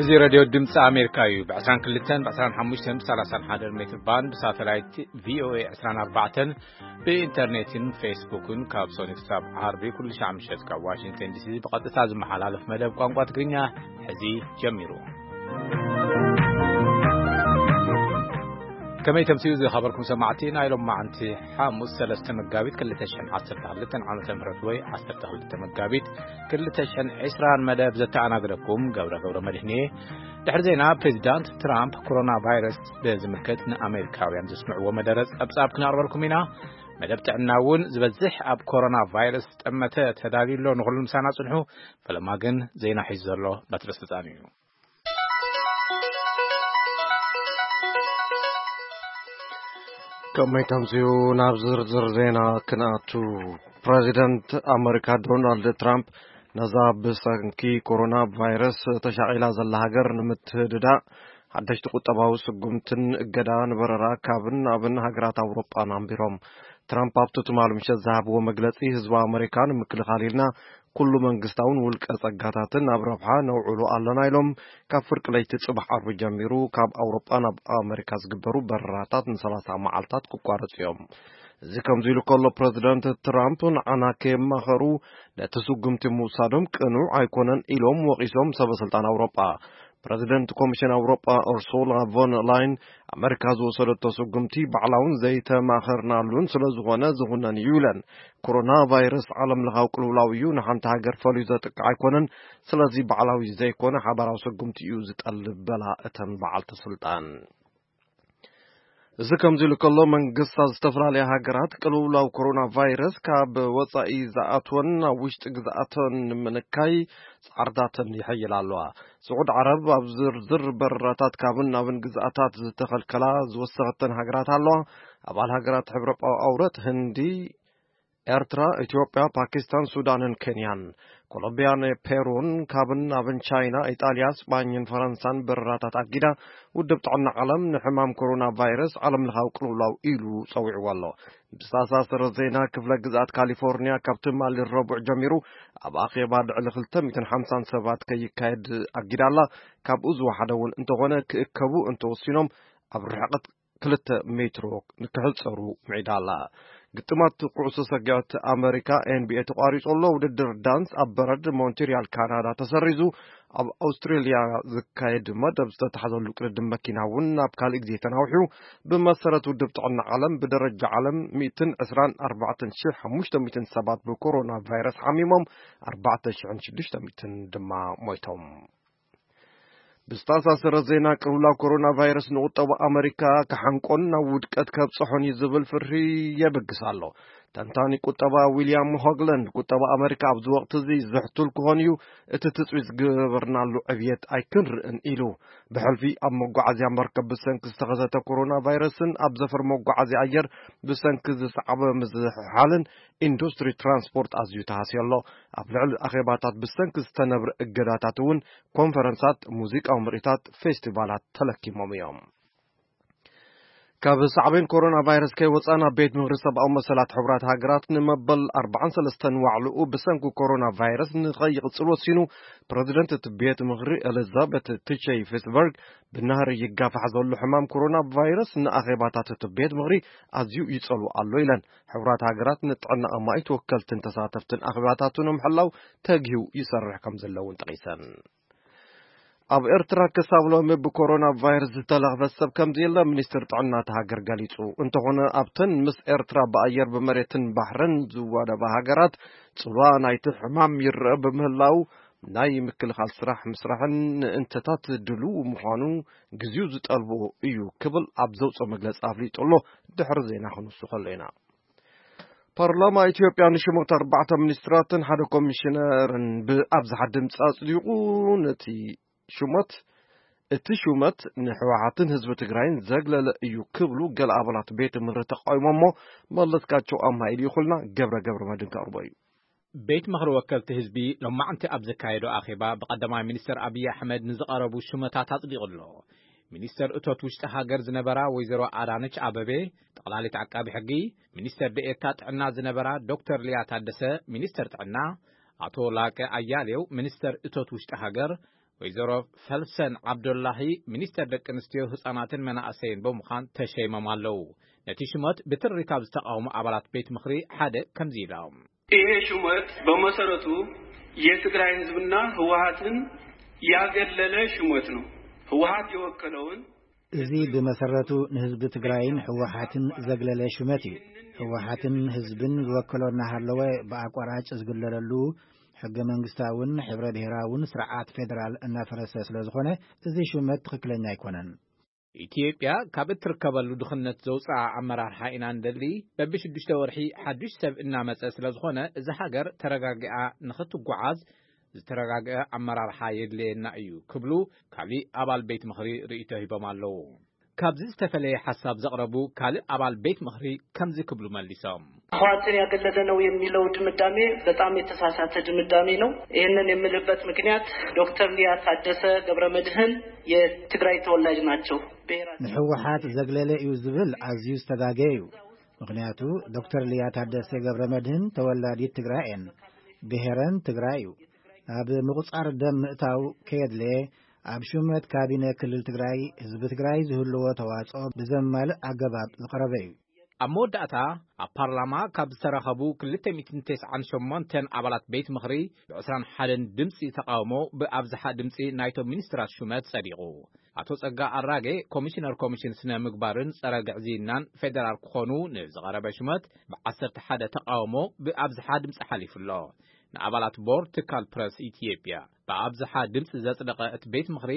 እዚ ሬድዮ ድምፂ ኣሜሪካ እዩ። ብ22፣ ብ25፣ ብ31 ሜትር ባንድ ብሳተላይት ቪኦኤ 24፣ ብኢንተርኔትን ፌስቡክን ካብ ሶኒ ክሳብ ዓርቢ ኩሉ ሻዕ ምሸት ካብ ዋሽንግተን ዲሲ ብቐጥታ ዝመሓላለፍ መደብ ቋንቋ ትግርኛ ሕዚ ጀሚሩ። ከመይ ተምስዩ ዝኸበርኩም ሰማዕቲ፣ ናይ ሎማዓንቲ ሓሙስ 3 መጋቢት 2012 ዓመተ ምህረት ወይ 12 መጋቢት 2020 መደብ ዘተኣናግደኩም ገብረ ገብረ መድህን እየ። ድሕሪ ዜና ፕሬዚዳንት ትራምፕ ኮሮና ቫይረስ ብዝምልከት ንኣሜሪካውያን ዘስምዕዎ መደረ ጸብጻብ ክነቕርበልኩም ኢና። መደብ ጥዕና እውን ዝበዝሕ ኣብ ኮሮና ቫይረስ ዝጠመተ ተዳልዩ ኣሎ። ንኹሉ ምሳና ጽንሑ። ፈለማ ግን ዜና ሒዙ ዘሎ በትረ ስልጣን እዩ። ከመይ ተምስዩ ናብ ዝርዝር ዜና ክንኣቱ። ፕሬዚደንት ኣመሪካ ዶናልድ ትራምፕ ነዛ ብሰንኪ ኮሮና ቫይረስ ተሻቒላ ዘላ ሃገር ንምትህድዳእ ሓደሽቲ ቁጠባዊ ስጉምትን እገዳ ንበረራ ካብን ናብን ሃገራት ኣውሮጳን ኣንቢሮም። ትራምፕ ኣብቲ ትማሊ ምሸት ዝሃብዎ መግለጺ፣ ህዝቢ ኣመሪካ ንምክልኻል ኢልና ኩሉ መንግስታውን ውልቀ ጸጋታትን ኣብ ረብሓ ነውዕሎ ኣለና ኢሎም። ካብ ፍርቂ ለይቲ ጽባሕ ዓርቢ ጀሚሩ ካብ ኣውሮጳ ናብ ኣመሪካ ዝግበሩ በረራታት ን30 መዓልታት ክቋረጹ እዮም። እዚ ከምዚ ኢሉ ከሎ፣ ፕረዚደንት ትራምፕ ንዓና ከየማኸሩ ነቲ ስጉምቲ ምውሳዶም ቅኑዕ ኣይኮነን ኢሎም ወቒሶም ሰበ ስልጣን ኣውሮጳ። ፕረዚደንት ኮሚሽን ኣውሮጳ ኡርሱላ ቮን ላይን፣ ኣመሪካ ዝወሰደቶ ስጉምቲ ባዕላውን ዘይተማኸርናሉን ስለ ዝኾነ ዝኹነን እዩ ኢለን። ኮሮና ቫይረስ ዓለም ለኻዊ ቅልውላው እዩ፣ ንሓንቲ ሃገር ፈልዩ ዘጥቅዕ ኣይኮነን። ስለዚ ባዕላዊ ዘይኮነ ሓባራዊ ስጉምቲ እዩ ዝጠልብ በላ እተን በዓልቲ ስልጣን። እዚ ከምዚ ኢሉ ከሎ፣ መንግስታት ዝተፈላለያ ሃገራት ቅልውላው ኮሮና ቫይረስ ካብ ወጻኢ ዝኣትወን ናብ ውሽጢ ግዝኣተን ንምንካይ ጻዕርታተን ይሕይላ ኣለዋ። ስዑድ ዓረብ ኣብ ዝርዝር በረራታት ካብን ናብን ግዝኣታት ዝተኸልከላ ዝወሰኸተን ሃገራት ኣለዋ። ኣባል ሃገራት ሕብረ ኣውረት ህንዲ፣ ኤርትራ፣ ኢትዮጵያ፣ ፓኪስታን፣ ሱዳንን ኬንያን፣ ኮሎምቢያን ፔሩን፣ ካብን ናብን ቻይና፣ ኢጣልያ፣ ስጳኝን ፈረንሳን በረራታት ኣጊዳ። ውድብ ጥዕና ዓለም ንሕማም ኮሮና ቫይረስ ዓለም ለኻዊ ቅልውላው ኢሉ ጸዊዕዎ ኣሎ። ብዝተኣሳሰረ ዜና፣ ክፍለ ግዝኣት ካሊፎርኒያ ካብ ትማሊ ረቡዕ ጀሚሩ ኣብ ኣኼባ ልዕሊ 250 ሰባት ከይካየድ ኣጊዳ ኣላ። ካብኡ ዝወሓደ እውን እንተኾነ ክእከቡ እንተወሲኖም ኣብ ርሕቀት 2 ሜትሮ ንክሕጸሩ ምዒዳ ኣላ። ግጥማት ኩዕሶ ሰጊዖት ኣመሪካ ኤን ቢ ኤ ተቋሪጹ ኣሎ። ውድድር ዳንስ ኣብ በረድ ሞንትሪያል ካናዳ ተሰሪዙ። ኣብ ኣውስትሬልያ ዝካየድ መደብ ዝተታሕዘሉ ቅድድም መኪና እውን ናብ ካልእ ግዜ ተናውሑ። ብመሰረት ውድብ ጥዕና ዓለም፣ ብደረጃ ዓለም 124,500 ሰባት ብኮሮና ቫይረስ ሓሚሞም፣ 4,600 ድማ ሞይቶም። ብዝተኣሳሰረ ዜና፣ ቅልውላው ኮሮና ቫይረስ ንቁጠባ ኣመሪካ ክሓንቆን ናብ ውድቀት ከብጽሖን እዩ ዝብል ፍርሂ የብግስ ኣሎ። ተንታኒ ቁጠባ ዊልያም ሆግላንድ፣ ቁጠባ ኣመሪካ ኣብዚ ወቕቲ እዚ ዝሕቱል ክኾን እዩ፣ እቲ ትጽቢት ዝገበርናሉ ዕብየት ኣይክንርእን ኢሉ። ብሕልፊ ኣብ መጓዓዝያ መርከብ ብሰንኪ ዝተኸሰተ ኮሮና ቫይረስን ኣብ ዘፈር መጓዓዝያ ኣየር ብሰንኪ ዝሰዓበ ምዝሕሓልን ኢንዱስትሪ ትራንስፖርት ኣዝዩ ተሃስዮ ኣሎ። ኣብ ልዕሊ ኣኼባታት ብሰንኪ ዝተነብረ እገዳታት እውን ኮንፈረንሳት፣ ሙዚቃዊ ምርኢታት፣ ፌስቲቫላት ተለኪሞም እዮም። ካብ ሳዕቤን ኮሮና ቫይረስ ከይወፃ ናብ ቤት ምኽሪ ሰብኣዊ መሰላት ሕቡራት ሃገራት ንመበል 43 ዋዕልኡ ብሰንኪ ኮሮና ቫይረስ ንኸይቕፅል ወሲኑ። ፕረዚደንት እቲ ቤት ምኽሪ ኤሊዛቤት ቲቸይ ፊትስበርግ፣ ብናህሪ ይጋፋሕ ዘሎ ሕማም ኮሮና ቫይረስ ንኣኼባታት እቲ ቤት ምኽሪ ኣዝዩ ይጸሉ ኣሎ ኢለን። ሕቡራት ሃገራት ንጥዕና ኣማኢት ወከልትን ተሳተፍትን ኣኼባታቱ ንምሕላው ተግሂው ይሰርሕ ከም ዘለውን ጠቒሰን። ኣብ ኤርትራ ክሳብ ሎሚ ብኮሮና ቫይረስ ዝተለኽፈ ሰብ ከም ዘየለ ሚኒስትር ጥዕና እቲ ሃገር ገሊጹ። እንተኾነ ኣብተን ምስ ኤርትራ ብኣየር ብመሬትን ባሕርን ዝዋደባ ሃገራት ጽልዋ ናይቲ ሕማም ይረአ ብምህላው ናይ ምክልኻል ስራሕ ምስራሕን ንእንተታት ድልው ምዃኑ ግዜኡ ዝጠልቦ እዩ ክብል ኣብ ዘውፅኦ መግለጺ ኣፍሊጡ ኣሎ። ድሕሪ ዜና ክንሱ ከሎ ኢና። ፓርላማ ኢትዮጵያ ንሽሞት ኣርባዕተ ሚኒስትራትን ሓደ ኮሚሽነርን ብኣብዝሓ ድምፂ ኣጽዲቑ። ነቲ ሹመት፣ እቲ ሹመት ንህወሓትን ህዝቢ ትግራይን ዘግለለ እዩ ክብሉ ገለ ኣባላት ቤት ምኽሪ ተቃዊሞሞ። መለስካቸው ኣምሃ ኢልዩ ይኹልና ገብረ ገብረ መድን ከቕርቦ እዩ። ቤት ምኽሪ ወከልቲ ህዝቢ ሎማዕንቲ ኣብ ዘካየዶ ኣኼባ ብቀዳማይ ሚኒስትር ኣብይ ኣሕመድ ንዝቐረቡ ሹመታት ኣጽዲቑ ኣሎ። ሚኒስተር እቶት ውሽጢ ሃገር ዝነበራ ወይዘሮ ኣዳነች ኣበቤ፣ ጠቕላሊት ዓቃቢ ሕጊ፣ ሚኒስተር ደኤታ ጥዕና ዝነበራ ዶክተር ሊያ ታደሰ፣ ሚኒስተር ጥዕና፣ ኣቶ ላቀ ኣያሌው፣ ሚኒስተር እቶት ውሽጢ ሃገር፣ ወይዘሮ ፈልሰን ዓብዶላሂ ሚኒስተር ደቂ ኣንስትዮ፣ ህጻናትን መናእሰይን ብምዃን ተሸይሞም ኣለዉ። ነቲ ሽመት ብትሪ ካብ ዝተቓወሙ ኣባላት ቤት ምኽሪ ሓደ ከምዚ ኢሎም። ይሄ ሹመት በመሰረቱ የትግራይ ህዝብና ህወሓትን ያገለለ ሹመት ነው። ህወሓት የወከለውን እዚ ብመሰረቱ ንህዝቢ ትግራይን ህወሓትን ዘግለለ ሹመት እዩ። ህወሓትን ህዝብን ዝወከሎ እናሃለወ ብኣቋራጭ ዝግለለሉ ሕገ መንግስታውን ሕብረ ብሔራውን ስርዓት ፌዴራል እናፈረሰ ስለ ዝኾነ፣ እዚ ሹመት ትኽክለኛ ኣይኮነን። ኢትዮጵያ ካብ እትርከበሉ ድኽነት ዘውፅኣ ኣመራርሓ ኢና እንደሊ። በብሽዱሽተ ወርሒ ሓዱሽ ሰብ እናመፀ ስለ ዝኾነ፣ እዛ ሃገር ተረጋጊኣ ንኽትጓዓዝ ዝተረጋገአ ኣመራርሓ የድልየና እዩ ክብሉ ካሊእ ኣባል ቤት ምኽሪ ርእይቶ ሂቦም ኣለዉ። ካብዚ ዝተፈለየ ሓሳብ ዘቕረቡ ካልእ ኣባል ቤት ምኽሪ ከምዚ ክብሉ መሊሶም። ህወሓትን ያገለለ ነው የሚለው ድምዳሜ በጣም የተሳሳተ ድምዳሜ ነው። ይህንን የምልበት ምክንያት ዶክተር ሊያ ታደሰ ገብረ መድህን የትግራይ ተወላጅ ናቸው። ብሔራቸው ንህወሓት ዘግለለ እዩ ዝብል ኣዝዩ ዝተጋገየ እዩ። ምኽንያቱ ዶክተር ሊያ ታደሰ ገብረ መድህን ተወላዲት ትግራይ እየን። ብሔረን ትግራይ እዩ። ናብ ምቑፃር ደም ምእታው ከየድለየ ኣብ ሹመት ካቢነ ክልል ትግራይ ህዝቢ ትግራይ ዝህልዎ ተዋፅኦ ብዘማልእ ኣገባብ ዝቐረበ እዩ። ኣብ መወዳእታ ኣብ ፓርላማ ካብ ዝተረኸቡ ክልተ ሚእትን ተስዓን ሸሞንተን ኣባላት ቤት ምኽሪ ብ ዕስራን ሓደን ድምፂ ተቓውሞ ብኣብዝሓ ድምፂ ናይቶም ሚኒስትራት ሹመት ጸዲቑ። ኣቶ ጸጋ ኣራጌ ኮሚሽነር ኮሚሽን ስነ ምግባርን ጸረ ግዕዝይናን ፌደራል ክኾኑ ንዝቐረበ ሹመት ብ ዓሰርተ ሓደ ተቓውሞ ብኣብዝሓ ድምፂ ሓሊፉ ኣሎ። ንኣባላት ቦርድ ትካል ፕረስ ኢትዮጵያ ብኣብዝሓ ድምፂ ዘጽደቐ እቲ ቤት ምኽሪ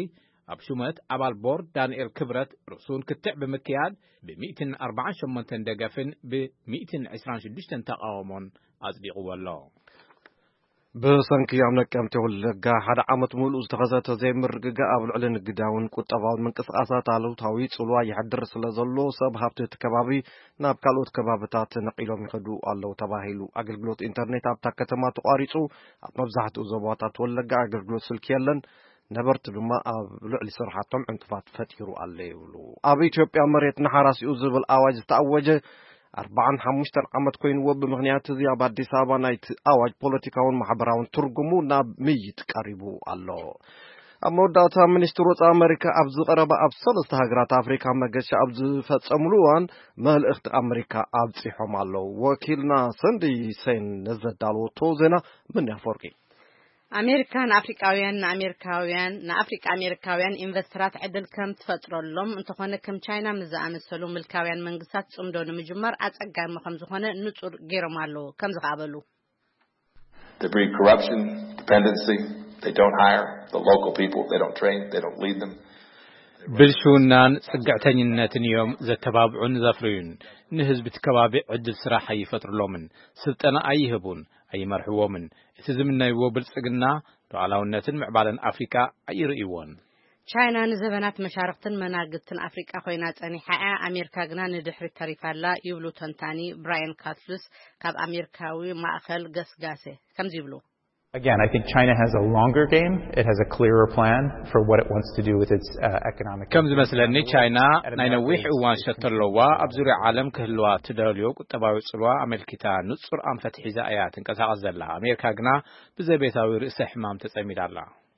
ኣብ ሹመት ኣባል ቦርድ ዳንኤል ክብረት ርእሱን ክትዕ ብምክያድ ብ ሚእትን ኣርባዓን ሸሞንተን ደገፍን ብ ሚእትን ዕስራን ሽዱሽተን ተቓውሞን ኣጽዲቕዎ ኣሎ። ብሰንኪ ኣብ ነቀምቴ ወለጋ ሓደ ዓመት ሙሉእ ዝተኸሰተ ዘይምርግጋእ ኣብ ልዕሊ ንግዳውን ቁጠባውን ምንቅስቃሳት ኣሉታዊ ጽልዋ የሕድር ስለ ዘሎ ሰብ ሃብቲ እቲ ከባቢ ናብ ካልኦት ከባብታት ነቒሎም ይኸዱ ኣለዉ ተባሂሉ። ኣገልግሎት ኢንተርኔት ኣብታ ከተማ ተቋሪጹ። ኣብ መብዛሕትኡ ዞባታት ወለጋ ኣገልግሎት ስልኪ የለን። ነበርቲ ድማ ኣብ ልዕሊ ስርሓቶም ዕንቅፋት ፈጢሩ ኣሎ ይብሉ። ኣብ ኢትዮጵያ መሬት ንሓራሲኡ ዝብል ኣዋጅ ዝተኣወጀ ኣርባዓን ሓሙሽተን ዓመት ኮይንዎ። ብምኽንያት እዚ ኣብ ኣዲስ ኣበባ ናይቲ ኣዋጅ ፖለቲካውን ማሕበራውን ትርጉሙ ናብ ምይይጥ ቀሪቡ ኣሎ። ኣብ መወዳእታ ሚኒስትር ወፃኢ ኣመሪካ ኣብዚ ቀረባ ኣብ ሰለስተ ሃገራት ኣፍሪካ መገሻ ኣብ ዝፈፀምሉ እዋን መልእኽቲ ኣመሪካ ኣብፂሖም ኣለዉ። ወኪልና ሰንዲ ሰይን ነዘዳለወቶ ዜና ምን ኣፈወርቂ። ኣሜሪካ ንኣፍሪቃውያን ንኣሜሪካውያን ንኣፍሪቃ ኣሜሪካውያን ኢንቨስተራት ዕድል ከም ትፈጥረሎም እንተኾነ ከም ቻይና ምስ ዝኣመሰሉ ምልካውያን መንግስታት ጽምዶ ንምጅማር ኣጸጋሚ ከም ዝኾነ ንጹር ገይሮም ኣለዉ ከም ዝኸኣበሉ They breed corruption, dependency. They don't hire the local people. They don't train. They don't lead them. ብልሽውናን ጽግዕተኝነትን እዮም ዘተባብዑን ዘፍርዩን። ንህዝቢ እቲ ከባቢ ዕድል ስራሕ ኣይፈጥርሎምን፣ ስልጠና ኣይህቡን፣ ኣይመርሕዎምን። እቲ ዝምነይዎ ብልጽግና፣ ሉዓላውነትን ምዕባለን ኣፍሪቃ ኣይርእይዎን። ቻይና ንዘበናት መሻርክትን መናግትን ኣፍሪቃ ኮይና ጸኒሓ እያ፣ ኣሜሪካ ግና ንድሕሪት ተሪፋ ኣላ ይብሉ ተንታኒ ብራያን ካትልስ ካብ ኣሜሪካዊ ማእኸል ገስጋሰ ከምዚ ይብሉ። Again, I think China has a longer game. It has a clearer plan for what it wants to do with its uh, economic. ከም ዝመስለኒ ቻይና ናይ ነዊሕ እዋን ሸቶ ኣለዋ። ኣብ ዙርያ ዓለም ክህልዋ ትደልዮ ቁጠባዊ ጽልዋ ኣመልኪታ ንጹር ኣንፈት ሒዛ እያ ትንቀሳቐስ ዘላ። ኣሜሪካ ግና ብዘቤታዊ ርእሰ ሕማም ተጸሚዳ ኣላ።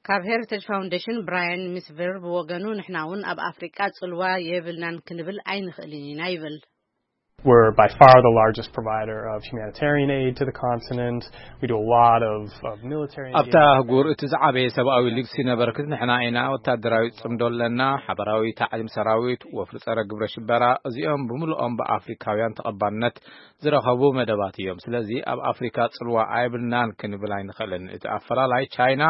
ካብ ሄሪቴጅ ፋውንዴሽን ብራያን ሚስቨር ብወገኑ ንሕና እውን ኣብ ኣፍሪቃ ጽልዋ የብልናን ክንብል ኣይንኽእልን ኢና ይብል። We're by far the largest provider of humanitarian aid to the continent. We do a lot of, of military ኣብታ ኣህጉር እቲ ዝዓበየ ሰብኣዊ ልግሲ ነበርክት ንሕና ኢና። ወታደራዊ ጽምዶ ኣለና፣ ሓበራዊ ታዕሊም ሰራዊት፣ ወፍሪ ጸረ ግብረ ሽበራ፣ እዚኦም ብምልኦም ብኣፍሪካውያን ተቐባልነት ዝረኸቡ መደባት እዮም። ስለዚ ኣብ ኣፍሪካ ጽልዋ ኣይብልናን ክንብል ኣይንኽእልን። እቲ ኣፈላላይ ቻይና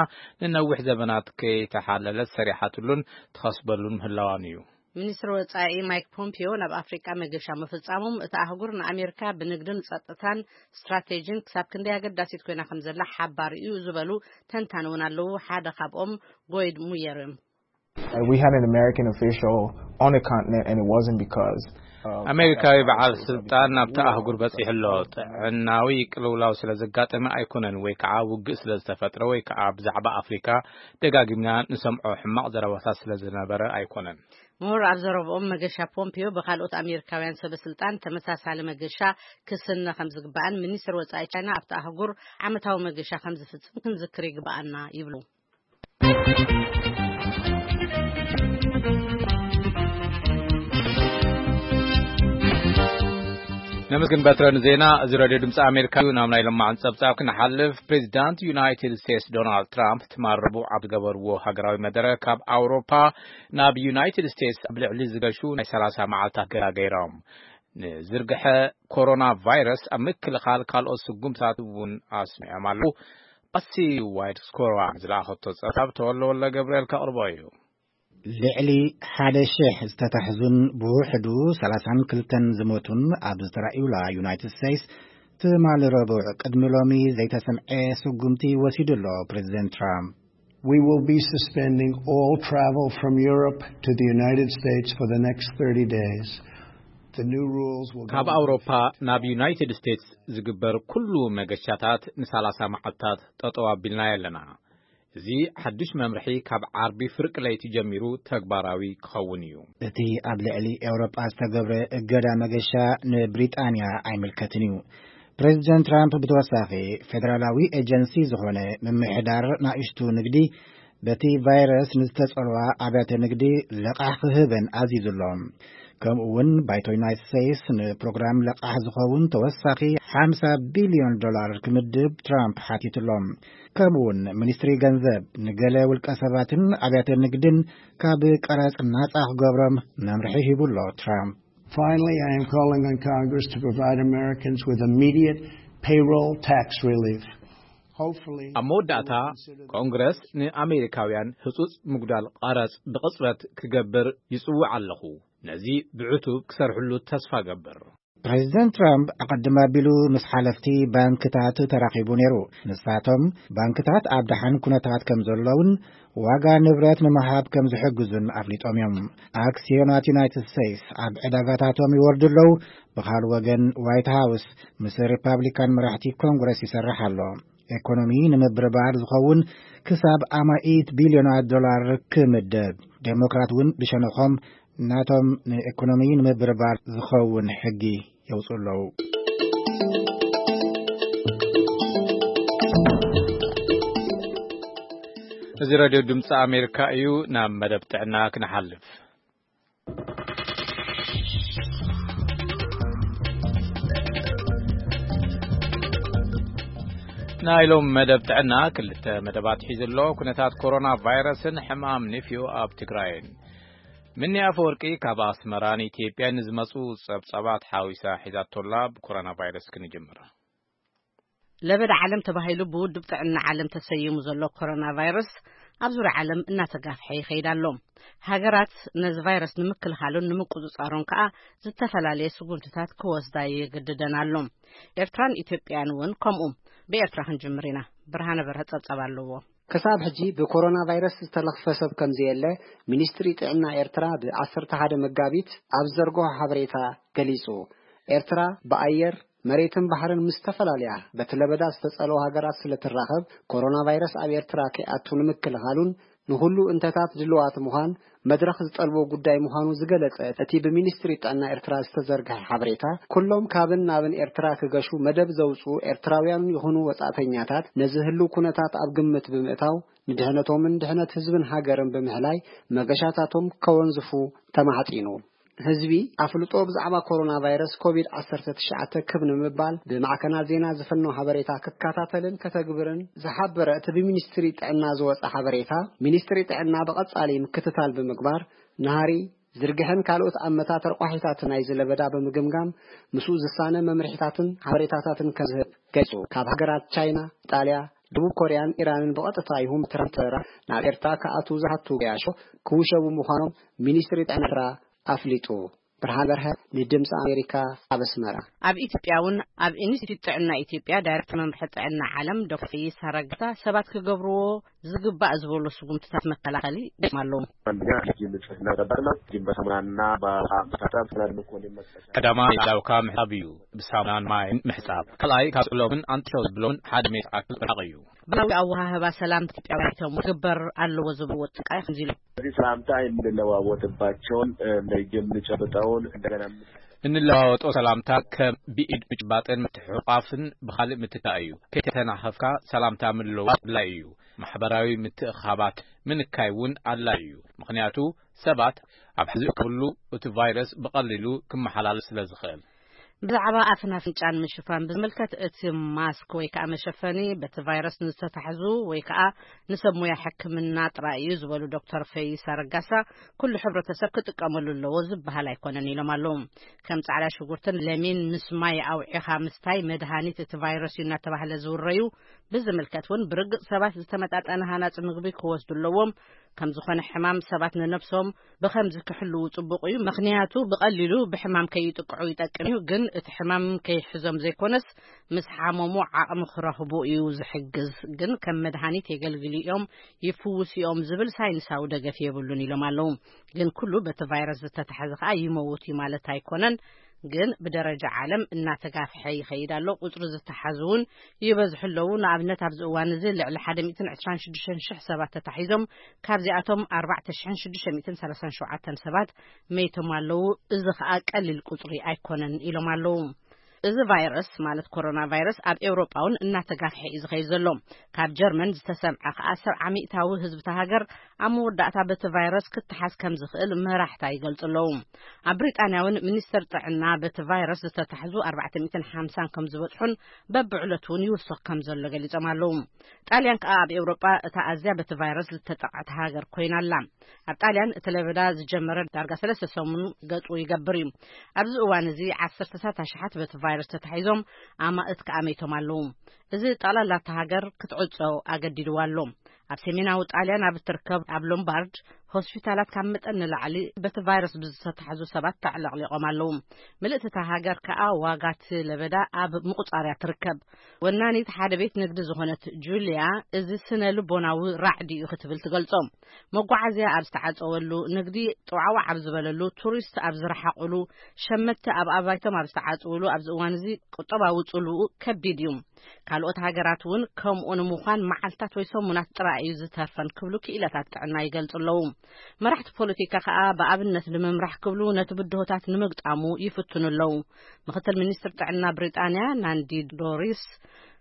ንነዊሕ ዘበናት ከይተሓለለት ሰሪሓትሉን ትኸስበሉን ምህላዋን እዩ። ሚኒስትር ወጻኢ ማይክ ፖምፒዮ ናብ ኣፍሪቃ መገሻ ምፍጻሞም እቲ ኣህጉር ንኣሜሪካ ብንግድን ጸጥታን ስትራቴጂን ክሳብ ክንደይ ኣገዳሲት ኮይና ከም ዘላ ሓባር እዩ ዝበሉ ተንታኒ እውን ኣለዉ። ሓደ ካብኦም ጎይድ ሙየር እዮም። We had an American official on the continent and it wasn't because ኣሜሪካዊ በዓል ስልጣን ናብቲ ኣህጉር በጺሑ ኣሎ። ጥዕናዊ ቅልውላው ስለ ዘጋጠመ ኣይኮነን፣ ወይ ከዓ ውግእ ስለ ዝተፈጥረ፣ ወይ ከዓ ብዛዕባ ኣፍሪካ ደጋጊምና ንሰምዖ ሕማቕ ዘረባታት ስለ ዝነበረ ኣይኮነን። ምሁር ኣብ ዘረብኦም መገሻ ፖምፒዮ ብካልኦት ኣሜሪካውያን ሰበ ስልጣን ተመሳሳሊ መገሻ ክስነ ከም ዝግባእን ሚኒስትር ወጻኢ ቻይና ኣብቲ ኣህጉር ዓመታዊ መገሻ ከም ዝፍጽም ክንዝክር ይግባኣና ይብሉ። ነመስግን በትረን ዜና። እዚ ሬድዮ ድምፂ ኣሜሪካ እዩ። ናብ ናይ ለማዕን ፀብፃብ ክንሓልፍ፣ ፕሬዚዳንት ዩናይትድ ስቴትስ ዶናልድ ትራምፕ ትማል ረቡዕ ኣብ ዝገበርዎ ሃገራዊ መደረ ካብ ኣውሮፓ ናብ ዩናይትድ ስቴትስ ኣብ ልዕሊ ዝገሹ ናይ ሰላሳ መዓልታት ገዳ ገይሮም። ንዝርግሐ ኮሮና ቫይረስ ኣብ ምክልኻል ካልኦት ስጉምታት እውን ኣስሚዖም ኣለዉ። ኣሲ ዋይድ ስኮራ ዝለኣኸቶ ፀብፃብ ተወለወለ ገብርኤል ከቕርቦ እዩ። ልዕሊ ሓደ ሽሕ ዝተታሕዙን ብውሕዱ ሰላሳን ክልተን ዝሞቱን ኣብ ዝተራእዩላ ዩናይትድ ስቴትስ፣ ትማሊ ረቡዕ ቅድሚ ሎሚ ዘይተሰምዐ ስጉምቲ ወሲዱ ኣሎ ፕሬዚደንት ትራምፕ። We will be suspending all travel from Europe to the United States for the next thirty days. The new rules will go ካብ into ኣውሮፓ ናብ ዩናይትድ ስቴትስ ዝግበር ኩሉ መገሻታት ንሳላሳ መዓልታት ጠጠው ኣቢልና ኣለና። እዚ ሓድሽ መምርሒ ካብ ዓርቢ ፍርቂ ለይቲ ጀሚሩ ተግባራዊ ክኸውን እዩ። እቲ ኣብ ልዕሊ ኤውሮጳ ዝተገብረ እገዳ መገሻ ንብሪጣንያ ኣይምልከትን እዩ። ፕሬዚደንት ትራምፕ ብተወሳኺ፣ ፌደራላዊ ኤጀንሲ ዝኾነ ምምሕዳር ናእሽቱ ንግዲ በቲ ቫይረስ ንዝተጸልዋ ኣብያተ ንግዲ ለቓሕ ክህበን ኣዚዙ ኣሎ። ከምኡ እውን ባይቶ ዩናይትድ ስቴትስ ንፕሮግራም ለቓሕ ዝኸውን ተወሳኺ ሓምሳ ቢልዮን ዶላር ክምድብ ትራምፕ ሓቲቱ ኣሎ። ከምኡ እውን ሚኒስትሪ ገንዘብ ንገለ ውልቀ ሰባትን ኣብያተ ንግድን ካብ ቀረጽ ናጻ ክገብሮም መምርሒ ሂቡ ኣሎ ትራምፕ። Finally, I am calling on Congress to provide Americans with immediate payroll tax relief. Hopefully, ኣብ መወዳእታ፣ ኮንግረስ ንኣሜሪካውያን ህጹጽ ምጉዳል ቐረጽ ብቕጽበት ክገብር ይጽውዕ ኣለኹ። ነዚ ብዕቱብ ክሰርሕሉ ተስፋ ገብር። ፕሬዚደንት ትራምፕ ኣቐድም ኣቢሉ ምስ ሓለፍቲ ባንክታት ተራኺቡ ነይሩ። ንሳቶም፣ ባንክታት ኣብ ደሓን ኩነታት ከም ዘለውን ዋጋ ንብረት ንምሃብ ከም ዝሕግዙን ኣፍሊጦም እዮም። ኣክሲዮናት ዩናይትድ ስቴትስ ኣብ ዕዳጋታቶም ይወርዱ ኣለዉ። ብኻልእ ወገን፣ ዋይት ሃውስ ምስ ሪፓብሊካን መራሕቲ ኮንግረስ ይሰርሕ ኣሎ። ኤኮኖሚ ንምብርባር ዝኸውን ክሳብ ኣማኢት ቢልዮናት ዶላር ክምደብ። ዴሞክራት እውን ብሸነኾም ናቶም ንኤኮኖሚ ንምብርባር ዝኸውን ሕጊ የውፅኡ ኣለዉ። እዚ ሬድዮ ድምፂ ኣሜሪካ እዩ። ናብ መደብ ጥዕና ክንሓልፍ። ናይ ሎም መደብ ጥዕና ክልተ መደባት ሒዙ ኣሎ። ኩነታት ኮሮና ቫይረስን ሕማም ንፍዮ ኣብ ትግራይን። ምኒ ኣፈወርቂ ካብ ኣስመራ ንኢትዮጵያ ንዝመጹ ጸብጻባት ሓዊሳ ሒዛቶላ። ብኮሮና ቫይረስ ክንጅምር። ለበዳ ዓለም ተባሂሉ ብውድብ ጥዕና ዓለም ተሰይሙ ዘሎ ኮሮና ቫይረስ ኣብ ዙርያ ዓለም እናተጋፍሐ ይኸይድ ኣሎ። ሃገራት ነዚ ቫይረስ ንምክልኻሉን ንምቁጽጻሩን ከኣ ዝተፈላለየ ስጉምትታት ክወስዳ ይግድደን ኣሎ። ኤርትራን ኢትዮጵያን እውን ከምኡ። ብኤርትራ ክንጅምር ኢና። ብርሃነ በርሀ ጸብጻብ ኣለዎ። ክሳብ ሕጂ ብኮሮና ቫይረስ ዝተለኽፈ ሰብ ከም ዘየለ ሚኒስትሪ ጥዕና ኤርትራ ብ ዓሰርተ ሓደ መጋቢት ኣብ ዘርግሖ ሓበሬታ ገሊጹ። ኤርትራ ብኣየር፣ መሬትን ባሕርን ምስ ዝተፈላለያ በቲ ለበዳ ዝተጸልዋ ሃገራት ስለ ትራኸብ፣ ኮሮና ቫይረስ ኣብ ኤርትራ ከይኣቱ ንምክልኻሉን ንኹሉ እንተታት ድልዋት ምዃን መድረኽ ዝጠልቦ ጉዳይ ምዃኑ ዝገለጸ እቲ ብሚኒስትሪ ጥዕና ኤርትራ ዝተዘርግሐ ሓበሬታ፣ ኩሎም ካብን ናብን ኤርትራ ክገሹ መደብ ዘውጽኡ ኤርትራውያን ይኹኑ ወጻእተኛታት ነዚ ህልው ኩነታት ኣብ ግምት ብምእታው፣ ንድሕነቶምን ድሕነት ህዝብን ሃገርን ብምሕላይ መገሻታቶም ከወንዝፉ ተማሕጺኑ። ህዝቢ ኣፍልጦ ብዛዕባ ኮሮና ቫይረስ ኮቪድ ዓሰርተ ትሽዓተ ክብ ንምባል ብማዕከናት ዜና ዝፍኖ ሓበሬታ ክከታተልን ከተግብርን ዝሓበረ እቲ ብሚኒስትሪ ጥዕና ዝወጸ ሓበሬታ፣ ሚኒስትሪ ጥዕና ብቐጻሊ ምክትታል ብምግባር፣ ናህሪ፣ ዝርግሐን ካልኦት ኣመታት ረቋሒታት ናይዚ ለበዳ ብምግምጋም፣ ምስኡ ዝሳነ መምርሒታትን ሓበሬታታትን ከም ዝህብ ገሊጹ። ካብ ሃገራት ቻይና፣ ኢጣልያ፣ ደቡብ ኮርያን ኢራንን ብቐጥታ ይኹን ብትራንስፈር ናብ ኤርትራ ክኣትዉ ዝሓቱ ገያሾ ክውሸቡ ምዃኖም ሚኒስትሪ ጥዕና ኤርትራ ኣፍሊጡ። ብርሃን በርሀ ንድምፂ ኣሜሪካ ኣብ ኣስመራ። ኣብ ኢትዮጵያ እውን ኣብ ኢንስቲትዩት ጥዕና ኢትዮጵያ ዳይሬክተር መምርሒ ጥዕና ዓለም ዶክተር ፈይሳ ረጋሳ ሰባት ክገብርዎ ዝግባእ ዝበሎ ስጉምትታት መከላኸሊ ደም ኣለዎም። አንደኛ እጅ ንጽህና መጠበቅ ነው። እጅን በሳሙናና በውሃ መታጠብ፣ ስለ ልኮ ሊመጠቀም ቀዳማይ ላውካ ምሕጻብ እዩ። ብሳሙናን ማይን ምሕጻብ። ካልኣይ ካብ ጽሎምን ኣንጥሾ ዝብሎምን ሓደ ሜትር ኣክል ርሓቕ እዩ። ባህላዊ ኣወሃህባ ሰላም ኢትዮጵያውያን ክግበር ኣለዎ ዝብልዎ ጥቃይ ከምዚ ኢሎም። እዚ ሰላምታ የምንለዋወጥባቸውን፣ እ፣ እጅ የምንጨብጠውን፣ እንደገና እንለዋወጦ ሰላምታ ከም ብኢድ ምጭባጥን ምትሕቋፍን ብኻልእ ምትካእ እዩ። ከይተናኸፍካ ሰላምታ ምልልዋጥ ኣድላዪ እዩ። ማሕበራዊ ምትእኻባት ምንካይ እውን ኣድላዪ እዩ። ምኽንያቱ ሰባት ኣብ ሕዚ ክብሉ እቲ ቫይረስ ብቐሊሉ ክመሓላለፍ ስለ ዝኽእል። ብዛዕባ ኣፍን ኣፍንጫን ምሽፋን ብዝምልከት፣ እቲ ማስክ ወይ ከዓ መሸፈኒ በቲ ቫይረስ ንዝተታሕዙ ወይ ከዓ ንሰብ ሞያ ሕክምና ጥራይ እዩ ዝበሉ ዶክተር ፈይሳ ረጋሳ፣ ኩሉ ሕብረተሰብ ክጥቀመሉ ኣለዎ ዝበሃል ኣይኮነን ኢሎም ኣለዉ። ከም ጻዕዳ ሽጉርትን ለሚን ምስ ማይ ኣውዒኻ ምስታይ መድሃኒት እቲ ቫይረስ እዩ እናተባህለ ዝውረዩ ብዝምልከት እውን፣ ብርግጽ ሰባት ዝተመጣጠነ ሃናጺ ምግቢ ክወስዱ ኣለዎም። ከም ዝኾነ ሕማም ሰባት ንነብሶም ብኸምዚ ክሕልዉ ጽቡቕ እዩ። ምኽንያቱ ብቐሊሉ ብሕማም ከይጥቅዑ ይጠቅም እዩ። ግን እቲ ሕማም ከይሕዞም ዘይኮነስ፣ ምስ ሓመሙ ዓቕሚ ክረኽቡ እዩ ዝሕግዝ። ግን ከም መድሃኒት የገልግሉ እዮም፣ ይፍውሱ እዮም ዝብል ሳይንሳዊ ደገፍ የብሉን ኢሎም ኣለዉ። ግን ኩሉ በቲ ቫይረስ ዝተታሕዘ ከኣ ይመውት እዩ ማለት ኣይኮነን። ግን ብደረጃ ዓለም እናተጋፍሐ ይኸይድ ኣሎ። ቁጽሪ ዝተሓዙ እውን ይበዝሑ ኣለዉ። ንኣብነት፣ ኣብዚ እዋን እዚ ልዕሊ ሓደ ሚእትን ዕስራን ሽዱሽተን ሽሕ ሰባት ተታሒዞም፣ ካብዚኣቶም ኣርባዕተ ሽሕን ሽዱሽተ ሚእትን ሰላሳን ሸውዓተን ሰባት መይቶም ኣለዉ። እዚ ኸኣ ቀሊል ቁጽሪ ኣይኮነን ኢሎም ኣለዉ። እዚ ቫይረስ፣ ማለት ኮሮና ቫይረስ፣ ኣብ ኤውሮጳ እውን እናተጋፍሐ እዩ ዝኸይድ ዘሎ። ካብ ጀርመን ዝተሰምዐ ኸኣ፣ ሰብዓ ሚእታዊ ህዝቢ እታ ሃገር ኣብ መወዳእታ በቲ ቫይረስ ክተሓዝ ከም ዝኽእል መራሕታ ይገልጹ ኣለዉ። ኣብ ብሪጣንያ እውን ሚኒስተር ጥዕና በቲ ቫይረስ ዝተታሕዙ ኣርባዕተ ሚእትን ሓምሳን ከም ዝበጽሑን በብዕለቱ እውን ይውስኽ ከም ዘሎ ገሊጾም ኣለዉ። ጣልያን ከኣ ኣብ ኤውሮጳ እታ ኣዝያ በቲ ቫይረስ ዝተጠቕዐት ሃገር ኮይና ኣላ። ኣብ ጣልያን እቲ ለበዳ ዝጀመረ ዳርጋ ሰለስተ ሰሙን ገጹ ይገብር እዩ። ኣብዚ እዋን እዚ ዓሰርተታት ኣሽሓት በቲ ቫይረስ ተታሒዞም፣ ኣማእት ከኣ መይቶም ኣለዉ። እዚ ጠቕላላ እታ ሃገር ክትዕጾ ኣገዲድዋ ኣሎ። ኣብ ሰሜናዊ ጣልያን ኣብ እትርከብ ኣብ ሎምባርድ፣ ሆስፒታላት ካብ መጠን ንላዕሊ በቲ ቫይረስ ብዝተታሕዙ ሰባት ተዕለቕሊቖም ኣለዉ። ምልእቲ እታ ሃገር ከኣ ዋጋ እቲ ለበዳ ኣብ ምቁጻርያ ትርከብ። ወናኒት ሓደ ቤት ንግዲ ዝኾነት ጁልያ፣ እዚ ስነ ልቦናዊ ራዕዲ እዩ ክትብል ትገልጾ። መጓዓዝያ ኣብ ዝተዓጸወሉ፣ ንግዲ ጥዋዕዋዕ ኣብ ዝበለሉ፣ ቱሪስት ኣብ ዝረሓቑሉ፣ ሸመትቲ ኣብ ኣባይቶም ኣብ ዝተዓጽውሉ ኣብዚ እዋን እዚ፣ ቁጠባዊ ጽልውኡ ከቢድ እዩ። ካልኦት ሃገራት እውን ከምኡ ንምዃን መዓልታት ወይ ሰሙናት ጥራይ እዩ ዝተርፈን ክብሉ ክኢላታት ጥዕና ይገልጹ ኣለዉ። መራሕቲ ፖለቲካ ከኣ ብኣብነት ንምምራሕ ክብሉ ነቲ ብድሆታት ንምግጣሙ ይፍትኑ ኣለዉ። ምኽትል ሚኒስትር ጥዕና ብሪጣንያ ናንዲ ዶሪስ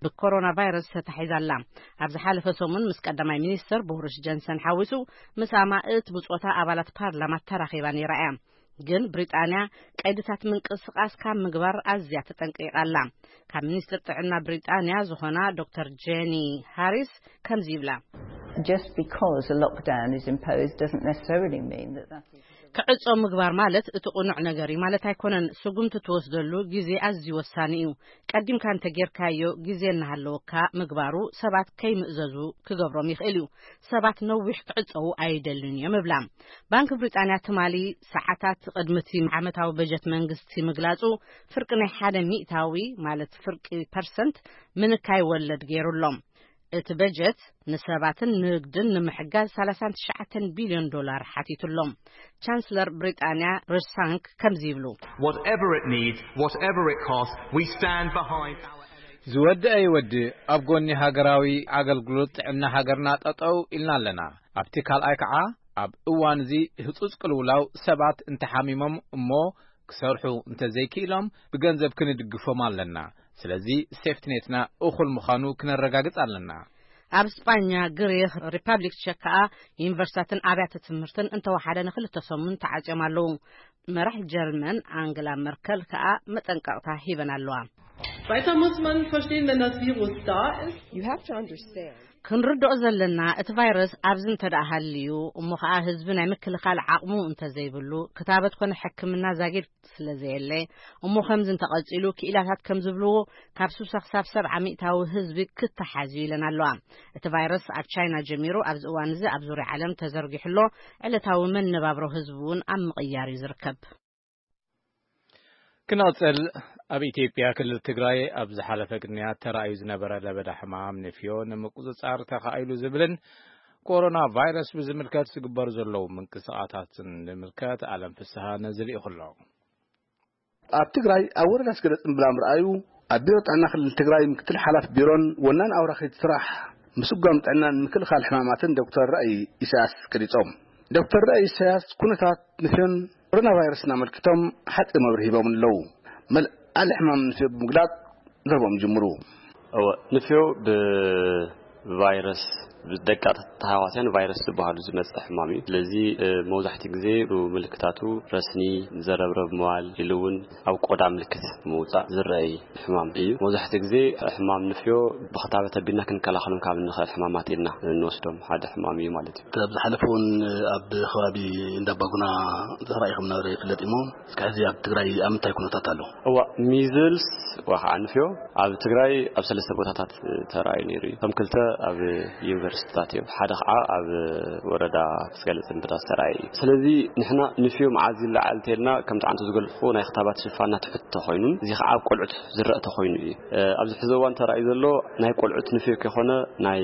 ብኮሮና ቫይረስ ተታሒዛ ኣላ። ኣብ ዝሓለፈ ሰሙን ምስ ቀዳማይ ሚኒስትር ቦሪስ ጆንሰን ሓዊሱ፣ ምስ ኣማእት ብጾታ ኣባላት ፓርላማ ተራኺባ ነይራ እያ። ግን ብሪጣንያ ቀይድታት ምንቅስቓስ ካብ ምግባር ኣዝያ ተጠንቂቓ ኣላ። ካብ ሚኒስትር ጥዕና ብሪጣንያ ዝኾና ዶክተር ጄኒ ሃሪስ ከምዚ ይብላ። Just because a lockdown is imposed doesn't necessarily mean that that is ክዕጾ ምግባር ማለት እቲ ቅኑዕ ነገር እዩ ማለት ኣይኮነን። ስጉምቲ ትወስደሉ ግዜ ኣዝዩ ወሳኒ እዩ። ቀዲምካ እንተጌርካዮ፣ ግዜ እናሃለወካ ምግባሩ ሰባት ከይምእዘዙ ክገብሮም ይኽእል እዩ። ሰባት ነዊሕ ክዕጸዉ ኣይደልን እዮም እብላ። ባንክ ብሪጣንያ ትማሊ ሰዓታት ቅድሚ እቲ ዓመታዊ በጀት መንግስቲ ምግላጹ፣ ፍርቂ ናይ ሓደ ሚእታዊ፣ ማለት ፍርቂ ፐርሰንት፣ ምንካይ ወለድ ገይሩ ኣሎ። እቲ በጀት ንሰባትን ንግድን ንምሕጋዝ ሰላሳን ትሽዓተን ቢልዮን ዶላር ሓቲቱ ኣሎ። ቻንስለር ብሪጣንያ ሪሽ ሳንክ ከምዚ ይብሉ። Whatever it needs, whatever it costs, we stand behind our ዝወድእ ኣይወድእ ኣብ ጎኒ ሃገራዊ ኣገልግሎት ጥዕና ሃገርና ጠጠው ኢልና ኣለና። ኣብቲ ካልኣይ ከዓ ኣብ እዋን እዚ ህጹጽ ቅልውላው ሰባት እንተሓሚሞም እሞ ክሰርሑ እንተዘይክኢሎም ብገንዘብ ክንድግፎም ኣለና። ስለዚ ሴፍትኔትና እኹል ምዃኑ ክነረጋግጽ ኣለና። ኣብ ስጳኛ፣ ግሪኽ፣ ሪፐብሊክ ቸክ ከኣ ዩኒቨርሲታትን ኣብያተ ትምህርትን እንተወሓደ ንክልተ ሰሙን ተዓጽዮም ኣለዉ። መራሕ ጀርመን ኣንግላ መርከል ከኣ መጠንቀቕታ ሂበን ኣለዋ። Weiter muss man verstehen, wenn das Virus da ist. You have to understand. ክንርድኦ ዘለና፣ እቲ ቫይረስ ኣብዚ እንተ ደኣ ሃልዩ፣ እሞ ኸኣ ህዝቢ ናይ ምክልኻል ዓቕሙ እንተ ዘይብሉ፣ ክታበት ኮነ ሕክምና ዛጊድ ስለ ዘየለ፣ እሞ ከምዚ እንተቐጺሉ፣ ክኢላታት ከም ዝብልዎ፣ ካብ ስሳ ክሳብ ሰብዓ ሚእታዊ ህዝቢ ክተሓዝ እዩ ኢለን ኣለዋ። እቲ ቫይረስ ኣብ ቻይና ጀሚሩ፣ ኣብዚ እዋን እዚ ኣብ ዙርያ ዓለም ተዘርጊሑ ኣሎ። ዕለታዊ መነባብሮ ህዝቢ እውን ኣብ ምቕያር እዩ ዝርከብ። ክንቕጽል፣ ኣብ ኢትዮጵያ ክልል ትግራይ ኣብ ዝሓለፈ ቅንያት ተራእዩ ዝነበረ ለበዳ ሕማም ንፍዮ ንምቁጽጻር ተኻኢሉ ዝብልን ኮሮና ቫይረስ ብዝምልከት ዝግበሩ ዘለዉ ምንቅስቓሳትን ዝምልከት ኣለም ፍስሃ ነዚ ልኢኹ ኣሎ። ኣብ ትግራይ ኣብ ወረዳ ስገደ ጽምብላም ረኣዩ ኣብ ቢሮ ጥዕና ክልል ትግራይ ምክትል ሓላፊ ቢሮን ወናን ኣውራኺት ስራሕ ምስጓም ጥዕናን ምክልኻል ሕማማትን ዶክተር ራእይ ኢሳያስ ገሊጾም። ዶክተር ራእይ ኢሳያስ ኩነታት ንፍዮን ኮሮና ቫይረስን ኣመልኪቶም ሓጺር መብርሂ ሂቦም ኣለዉ። መልዓሊ ሕማም ንፍዮ ብምግላጽ ዘረቦም ይጅምሩ። እወ፣ ንፍዮ ብቫይረስ ብደቃ ተሃዋስያን ቫይረስ ዝበሃሉ ዝመጽእ ሕማም እዩ። ስለዚ፣ እ፣ መብዛሕትኡ ግዜ ምልክታቱ ረስኒ፣ ዘረብረብ ምባል፣ ኢሉ እውን ኣብ ቆዳ ምልክት ምውጻእ ዝረኣይ ሕማም እዩ። መብዛሕትኡ ግዜ ሕማም ንፍዮ ብኽታበት ኣቢልና ክንከላኸሎም ካብ እንኽእል ሕማማት ኢልና እንወስዶም ሓደ ሕማም እዩ ማለት እዩ። ኣብ ዝሓለፈ እውን ኣብ ከባቢ እንዳባጉና ተራኢኹም ነበረ ይፍለጥ እሞ፣ እስከ ሕዚ ኣብ ትግራይ ኣብ ምንታይ ኩነታት ኣሎ? እዋ፣ ሚዝልስ ወይ ከዓ ንፍዮ ኣብ ትግራይ ኣብ ሰለስተ ቦታታት ተራእዩ ነይሩ እዩ። እቶም ክልተ ኣብ ዩኒቨርሲቲታት እዮም። ሓደ ከዓ ኣብ ወረዳ ስገለጽ ምብዳ ዝተራእየ እዩ። ስለዚ ንሕና ንፍዮ መዓዝ ይለዓል እንተልና፣ ከምቲ ዓንቱ ዝገልጽኩ ናይ ክታባት ሽፋና ትሕት ተኾይኑን፣ እዚ ከዓ ኣብ ቆልዑት ዝረአ ተኾይኑ እዩ። እ፣ ኣብዚ ሕዚ እዋን ተራእዩ ዘሎ ናይ ቆልዑት ንፍዮ ከይኮነ ናይ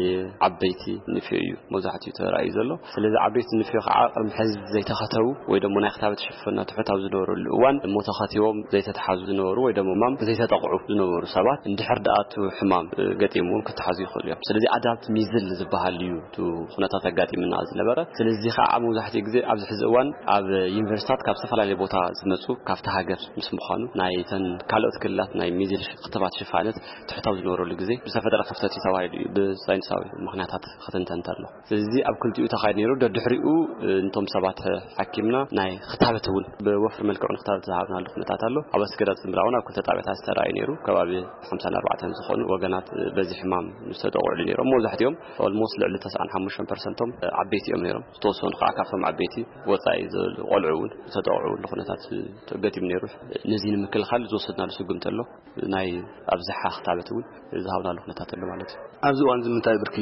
ዓበይቲ ንፍዮ እዩ መብዛሕትኡ ተራእዩ ዘሎ። ስለዚ ዓበይቲ ንፍዮ ከዓ ቅድሚ ሕዚ ዘይተኸተቡ ወይ ደሞ ናይ ክታበት ሽፈና ትሑት ኣብ ዝነበረሉ እዋን እሞ ተኸቲቦም ዘይተተሓዙ ዝነበሩ ወይ ደሞ ማም ዘይተጠቕዑ ዝነበሩ ሰባት እንድሕር ደኣ እቲ ሕማም፣ እ፣ ገጢምዎም ክተሓዙ ይኽእሉ እዮም። ስለዚ ኣዳፕት ሚዝል ዝበሃል እዩ እቲ ኩነታት ኣጋጢምና ዝነበረ። ስለዚ ከዓ መብዛሕትኡ ግዜ ኣብዚ ሕዚ እዋን ኣብ ዩኒቨርሲታት ካብ ዝተፈላለየ ቦታ ዝመፁ ካብቲ ሃገር ምስ ምዃኑ ናይተን ካልኦት ክልላት ናይ ሚዝል ክትባት ሽፋነት ትሕት ኣብ ዝነበረሉ ግዜ ዝተፈጠረ ክፍተት እዩ ተባሂሉ እዩ ብሳይንሳዊ ምኽንያታት ክትንተን እንተሎ። ስለዚ ኣብ ክልቲኡ ተኻይዱ ነይሩ። ደድሕሪኡ፣ እ፣ ነቶም ሰባት ሓኪምና ናይ ክታበት እውን ብወፍሪ መልክዑ ንክታበት ዝሃብናሉ ኩነታት ኣሎ። ኣብ ኣስገዳት ዝምራ እውን ኣብ ክልተ ጣብያታት ዝተረኣዩ ነይሩ። ከባቢ ሓምሳን ኣርባዕተን ዝኾኑ ወገናት፣ እ፣ በዚ ሕማም ዝተጠቕዑሉ ነይሮም። መብዛሕትኦም ኦልሞስት ልዕሊ ተስዓን ሓሙሽተን ፐርሰንቶም፣ እ፣ ዓበይቲ እዮም ነይሮም። ዝተወሰኑ ከዓ ካብቶም ዓበይቲ ወፃኢ ዘለዉ ቆልዑ እውን ዝተጠቕዑሉ ኩነታት፣ እ፣ ገጢሙ ነይሩ። ነዚ ንምክልኻል ዝወሰድናሉ ስጉምቲ ኣሎ። ናይ ኣብዝሓ ክታበት እውን ዝሃብናሉ ኩነታት ኣሎ ማለት እዩ። ኣብዚ እዋን እዚ ምንታይ ብርኪ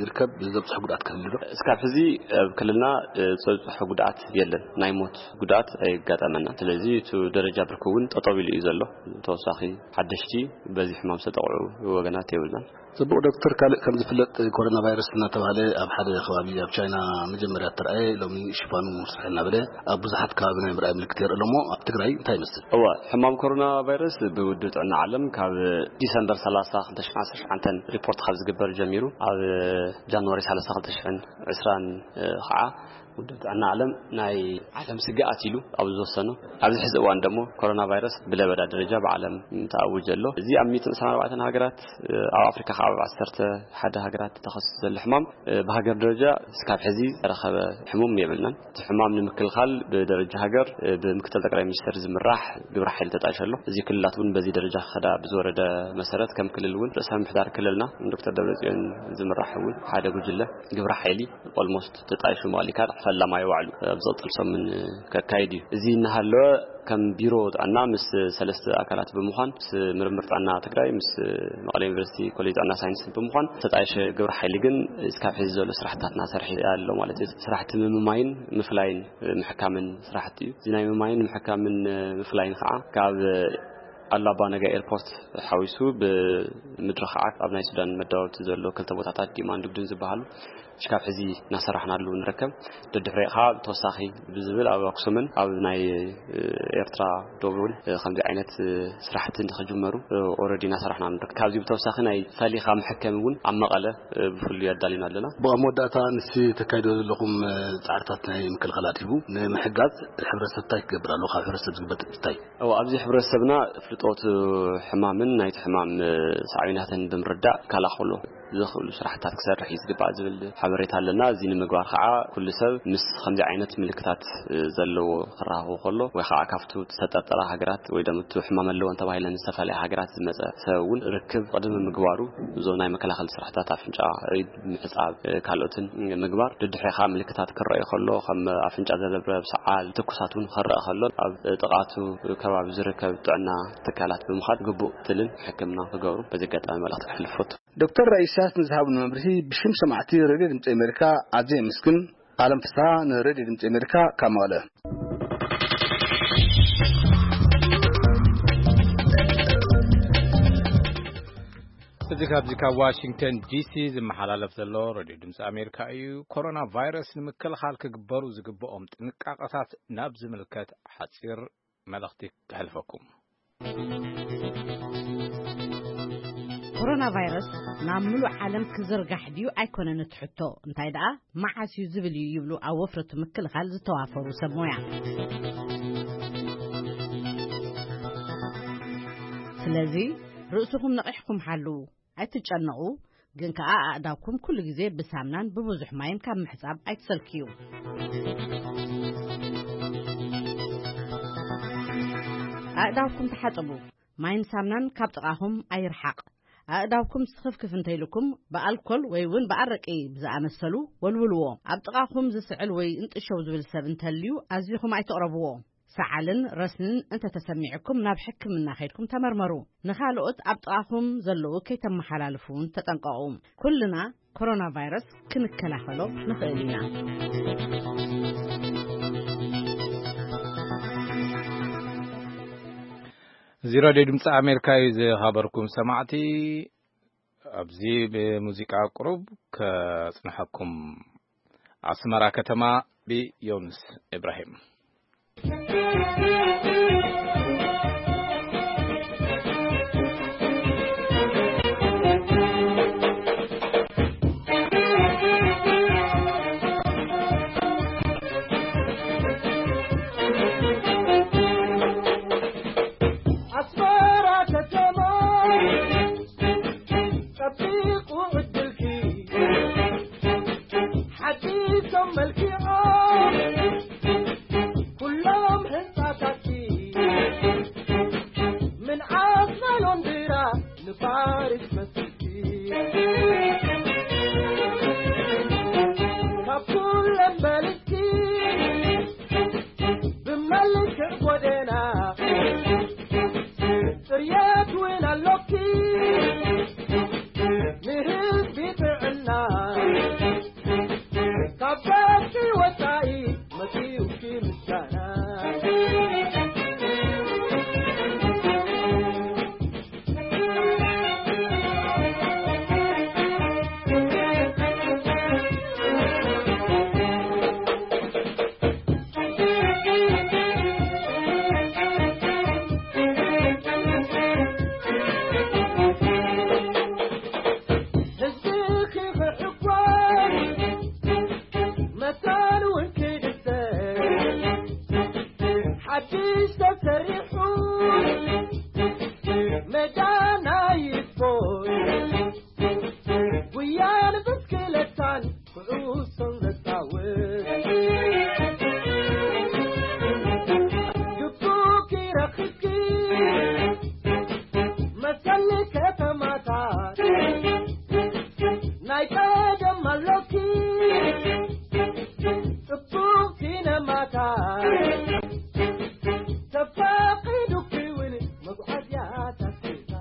ይርከብ? ዘብፅሕ ጉድኣት ክህሉ ዶ? እስካብ ሕዚ ኣብ ክልልና፣ እ፣ ዝበፅሐ ጉድኣት የለን። ናይ ሞት ጉድኣት ኣይጋጠመና። ስለዚ እቲ ደረጃ ብርኪ እውን ጠጠው ኢሉ እዩ ዘሎ። ተወሳኺ ሓደሽቲ በዚ ሕማም ዝተጠቕዑ ወገናት የብልናን። ጽቡቕ ዶክተር፣ ካልእ ከም ዝፍለጥ ኮሮና ቫይረስ እናተባህለ ኣብ ሓደ ከባቢ ኣብ ቻይና መጀመርያ እተርኣየ ሎሚ ሽፋኑ ስፍሕ እናበለ ኣብ ብዙሓት ከባቢ ናይ ምርኣይ ምልክት የርኢ ኣሎ እሞ ኣብ ትግራይ እንታይ ይመስል? እዋ፣ ሕማም ኮሮና ቫይረስ ብውድብ ጥዕና ዓለም ካብ ዲሰምበር ሰላሳ ክልተ ሽሕን ዓሰርተ ትሽዓተን ሪፖርት ካብ ዝግበር ጀሚሩ ኣብ ጃንዋሪ ሰላሳ ክልተ ሽሕን ዕስራን ከዓ ውድብ ጥዕና ዓለም ናይ ዓለም ስግኣት ኢሉ ኣብ ዝወሰኖ፣ ኣብዚ ሕዚ እዋን ደሞ ኮሮና ቫይረስ ብለበዳ ደረጃ ብዓለም ተኣውጀ ኣሎ። እዚ ኣብ ሚእትን ዕስራን ኣርባዕተን ሃገራት፣ ኣብ ኣፍሪካ ከዓ ኣብ ዓሰርተ ሓደ ሃገራት ተኸሲሱ ዘሎ ሕማም፣ ብሃገር ደረጃ እስካብ ሕዚ ዝተረኸበ ሕሙም የብልናን። እቲ ሕማም ንምክልኻል ብደረጃ ሃገር ብምክትል ጠቅላይ ሚኒስትር ዝምራሕ ግብረ ሓይሊ ተጣይሹ ኣሎ። እዚ ክልላት እውን በዚ ደረጃ ክኸዳ ብዝወረደ መሰረት ከም ክልል እውን ርእሰ ምምሕዳር ክልልና ዶክተር ደብረጽዮን ዝምራሕ እውን ሓደ ጉጅለ ግብረ ሓይሊ ኦልሞስት ተጣይሹ መቐሊካ ፈላማይ ባዕሉ ኣብ ዝቕፅል ሰሙን ከካይድ እዩ። እዚ እናሃለወ ከም ቢሮ ጥዕና ምስ ሰለስተ ኣካላት ብምዃን ምስ ምርምር ጥዕና ትግራይ ምስ መቐለ ዩኒቨርሲቲ ኮሌጅ ጥዕና ሳይንስ ብምዃን ተጣይሸ ግብረ ሓይሊ ግን እስካብ ሕዚ ዘሎ ስራሕታትና ሰርሒ ኣሎ ማለት እዩ። ስራሕቲ ምምማይን ምፍላይን ምሕካምን ስራሕቲ እዩ። እዚ ናይ ምምማይን ምሕካምን ምፍላይን ከዓ ካብ ኣሉላ ኣባ ነጋ ኤርፖርት ሓዊሱ ብምድሪ ከዓ ኣብ ናይ ሱዳን መዳወብቲ ዘሎ ክልተ ቦታታት ዲማን ዱግድን ዝበሃሉ እስካብ ሕዚ እናሰራሕናሉ ንርከብ። ደድሕሪኡ ከዓ ተወሳኺ ብዝብል ኣብ ኣክሱምን ኣብ ናይ ኤርትራ ዶብ እውን ከምዚ ዓይነት ስራሕቲ ንክጅመሩ ኦረዲ እናሰራሕና ንርከብ። ካብዚ ብተወሳኺ ናይ ፈሊኻ መሐከሚ እውን ኣብ መቐለ ብፍሉይ ኣዳሊና ኣለና። ብኣብ መወዳእታ ንስ ተካይዶ ዘለኹም ፃዕርታት ናይ ምክልኻል ኣድሂቡ ንምሕጋዝ ሕብረተሰብ እንታይ ክገብር ኣለዎ? ካብ ሕብረተሰብ ዝግበር እንታይ? እዎ፣ ኣብዚ ሕብረተሰብና ፍልጦት ሕማምን ናይቲ ሕማም ሳዕቤናትን ብምርዳእ ይከላኸሎ ዝኽእሉ ስራሕታት ክሰርሕ እዩ ዝግባእ ዝብል ሓበሬታ ኣለና። እዚ ንምግባር ከዓ ኩሉ ሰብ ምስ ከምዚ ዓይነት ምልክታት ዘለዎ ክራኸቡ ከሎ ወይ ከዓ ካብቱ ዝተጠርጠራ ሃገራት ወይ ደሞ እቲ ሕማም ኣለወን ተባሂለን ዝተፈላለያ ሃገራት ዝመፀ ሰብ እውን ርክብ ቅድሚ ምግባሩ እዞም ናይ መከላኸሊ ስራሕታት ኣፍንጫ፣ ኢድ ምሕፃብ፣ ካልኦትን ምግባር። ድድሕሪ ከዓ ምልክታት ክረኣዩ ከሎ ከም ኣፍንጫ ዘረብረብ፣ ሰዓል፣ ትኩሳት እውን ክረአ ከሎ ኣብ ጥቓቱ ከባቢ ዝርከብ ጥዕና ትካላት ብምኻድ ግቡእ ክትትልን ሕክምና ክገብሩ በዚ ኣጋጣሚ መልእኽቲ ከሕልፍ ፈቱ። ዶክተር ራኢሳስ ንዝሃብኑ መብርሂ ብሽም ሰማዕቲ ሬድዮ ድምፂ ኣሜሪካ ኣዝየ የመስግን። ኣለም ፍስሃ ንሬድዮ ድምፂ ኣሜሪካ ካብ መቐለ። እዚ ካብዚ ካብ ዋሽንግተን ዲሲ ዝመሓላለፍ ዘሎ ሬድዮ ድምፂ ኣሜሪካ እዩ። ኮሮና ቫይረስ ንምክልኻል ክግበሩ ዝግብኦም ጥንቃቐታት ናብ ዝምልከት ሓፂር መልእኽቲ ከሕልፈኩም። ኮሮና ቫይረስ ናብ ምሉእ ዓለም ክዝርጋሕ ድዩ ኣይኮነን እቲ ሕቶ፣ እንታይ ደኣ መዓስ እዩ ዝብል እዩ ይብሉ ኣብ ወፍረቱ ምክልኻል ዝተዋፈሩ ሰብ ሞያ። ስለዚ ርእስኹም ነቒሕኩም ሓልዉ፣ ኣይትጨነቑ። ግን ከኣ ኣእዳውኩም ኩሉ ግዜ ብሳምናን ብብዙሕ ማይን ካብ ምሕጻብ ኣይትሰልክዩ። ኣእዳውኩም ተሓጽቡ። ማይን ሳምናን ካብ ጥቓኹም ኣይርሓቕ። ኣእዳውኩም ስኽፍክፍ እንተይልኩም ብኣልኮል ወይ እውን ብኣረቂ ብዝኣመሰሉ ወልውልዎ። ኣብ ጥቓኹም ዝስዕል ወይ እንጥሸው ዝብል ሰብ እንተልዩ ኣዚኹም ኣይትቕረብዎ። ሰዓልን ረስንን እንተተሰሚዕኩም ናብ ሕክምና ከይድኩም ተመርመሩ። ንኻልኦት ኣብ ጥቓኹም ዘለዉ ከይተመሓላልፉ እውን ተጠንቀቑ። ኩልና ኮሮና ቫይረስ ክንከላኸሎ ንኽእል ኢና። እዚ ራድዮ ድምፂ ኣሜሪካ እዩ። ዝኸበርኩም ሰማዕቲ፣ ኣብዚ ብሙዚቃ ቁሩብ ከጽንሐኩም። ኣስመራ ከተማ ብዮንስ ኢብራሂም። ኣስመራ ከተማ ጸቢቑ ዕድልኪ ሓዲሶም መልኪዖም ኩሎም ህንጻታትኪ ምንዓስ ናይ ሎንድራ ንፋሪስ መስልኪ ካብ ኩለን በልጽኪ ብመልክዕ ጎደና ጽርየት እውን ኣሎኪ ንህዝቢ ጥዕና ካብ በቂ ወጻኢ መጺኡኪ ምስጋና። ህዝብኺ ክሕጎስ መታን እውን ክድሰት ሓድሽ ተሰሪሑ ሜዳ ናይ ስፖርት ጉያን ብስክለታን ኩዕሶን ዘጻውት ግቡእ ይረኽብኪ መሰል ከተማታት ናይ ቀደም ኣሎኪ ጽቡቕ ሲነማታት ተፈቒዱኪ እውን መጓዓዝያታት ገዛ።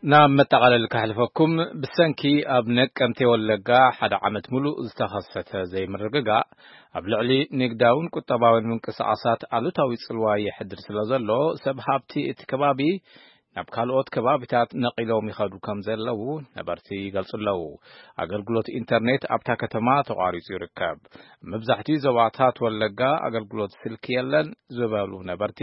ናብ መጠቓለሊ ከሕልፈኩም። ብሰንኪ ኣብ ነቀምቴ ወለጋ ሓደ ዓመት ሙሉእ ዝተኸሰተ ዘይምርግጋእ ኣብ ልዕሊ ንግዳውን ቁጠባውን ምንቅስቓሳት ኣሉታዊ ጽልዋ የሕድር ስለ ዘሎ፣ ሰብ ሃብቲ እቲ ከባቢ ናብ ካልኦት ከባቢታት ነቒሎም ይኸዱ ከም ዘለዉ ነበርቲ ይገልጹ ኣለዉ። ኣገልግሎት ኢንተርኔት ኣብታ ከተማ ተቋሪጹ ይርከብ። መብዛሕትኡ ዞባታት ወለጋ ኣገልግሎት ስልኪ የለን ዝበሉ ነበርቲ፣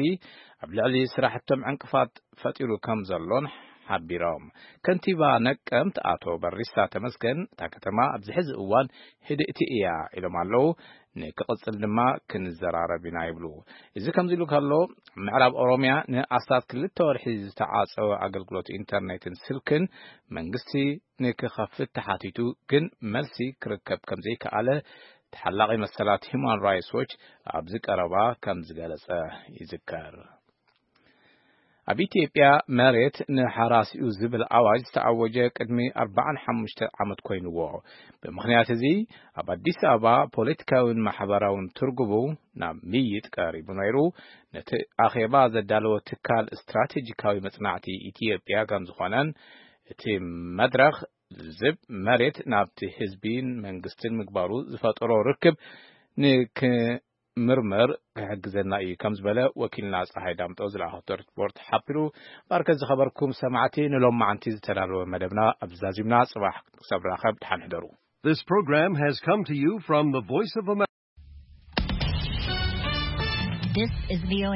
ኣብ ልዕሊ ስራሕቶም ዕንቅፋት ፈጢሩ ከም ዘሎን ሓቢሮም። ከንቲባ ነቀምት ኣቶ በሪሳ ተመስገን፣ እታ ከተማ ኣብዚ ሕዚ እዋን ህድእቲ እያ ኢሎም ኣለዉ። ንክቕጽል ድማ ክንዘራረብ ኢና ይብሉ። እዚ ከምዚ ኢሉ ከሎ፣ ምዕራብ ኦሮምያ ንኣስታት ክልተ ወርሒ ዝተዓጸወ ኣገልግሎት ኢንተርኔትን ስልክን መንግስቲ ንክኸፍት ተሓቲቱ፣ ግን መልሲ ክርከብ ከም ዘይከኣለ ተሓላቒ መሰላት ሂዩማን ራይትስ ዎች ኣብዚ ቀረባ ከም ዝገለጸ ይዝከር። ኣብ ኢትዮጵያ መሬት ንሓራሲኡ ዝብል ኣዋጅ ዝተኣወጀ ቅድሚ ኣርባዓን ሓሙሽተ ዓመት ኮይንዎ። ብምኽንያት እዚ ኣብ ኣዲስ ኣበባ ፖለቲካውን ማሕበራውን ትርጉሙ ናብ ምይጥ ቀሪቡ ነይሩ። ነቲ ኣኼባ ዘዳለወ ትካል ስትራቴጂካዊ መጽናዕቲ ኢትዮጵያ ከም ዝኾነን እቲ መድረኽ ዝብ መሬት ናብቲ ህዝቢን መንግስትን ምግባሩ ዝፈጠሮ ርክብ ንክ ምርምር ክሕግዘና እዩ ከም ዝበለ ወኪልና ፀሓይ ዳምጠው ዝለኣኸቶ ሪፖርት ሓቢሩ። ባርከ ዝኸበርኩም ሰማዕቲ፣ ንሎማዓንቲ ዝተዳለወ መደብና ኣብዚ ዛዚምና። ፅባሕ ክሳብ ራኸብ ድሓን ሕደሩ። This program has come to you from the Voice of America. This is V O A.